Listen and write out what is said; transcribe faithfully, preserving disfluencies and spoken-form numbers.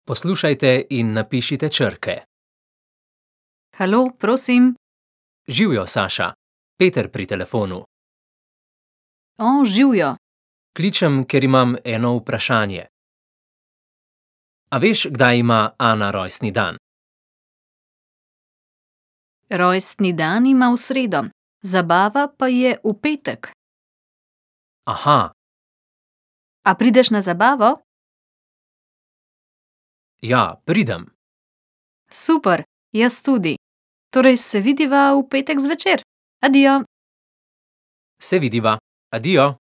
Poslušajte in napišite črke: Halo, prosim. Živjo, Saša. Peter pri telefonu. O, živjo. Kličem, ker imam eno vprašanje. A veš, kdaj ima Ana rojstni dan? Rojstni dan ima v sredo, zabava pa je v petek. Aha. A prideš na zabavo? Ja, pridem. Super, jaz tudi. Torej se vidiva v petek zvečer. Adijo. Se vidiva. Adijo.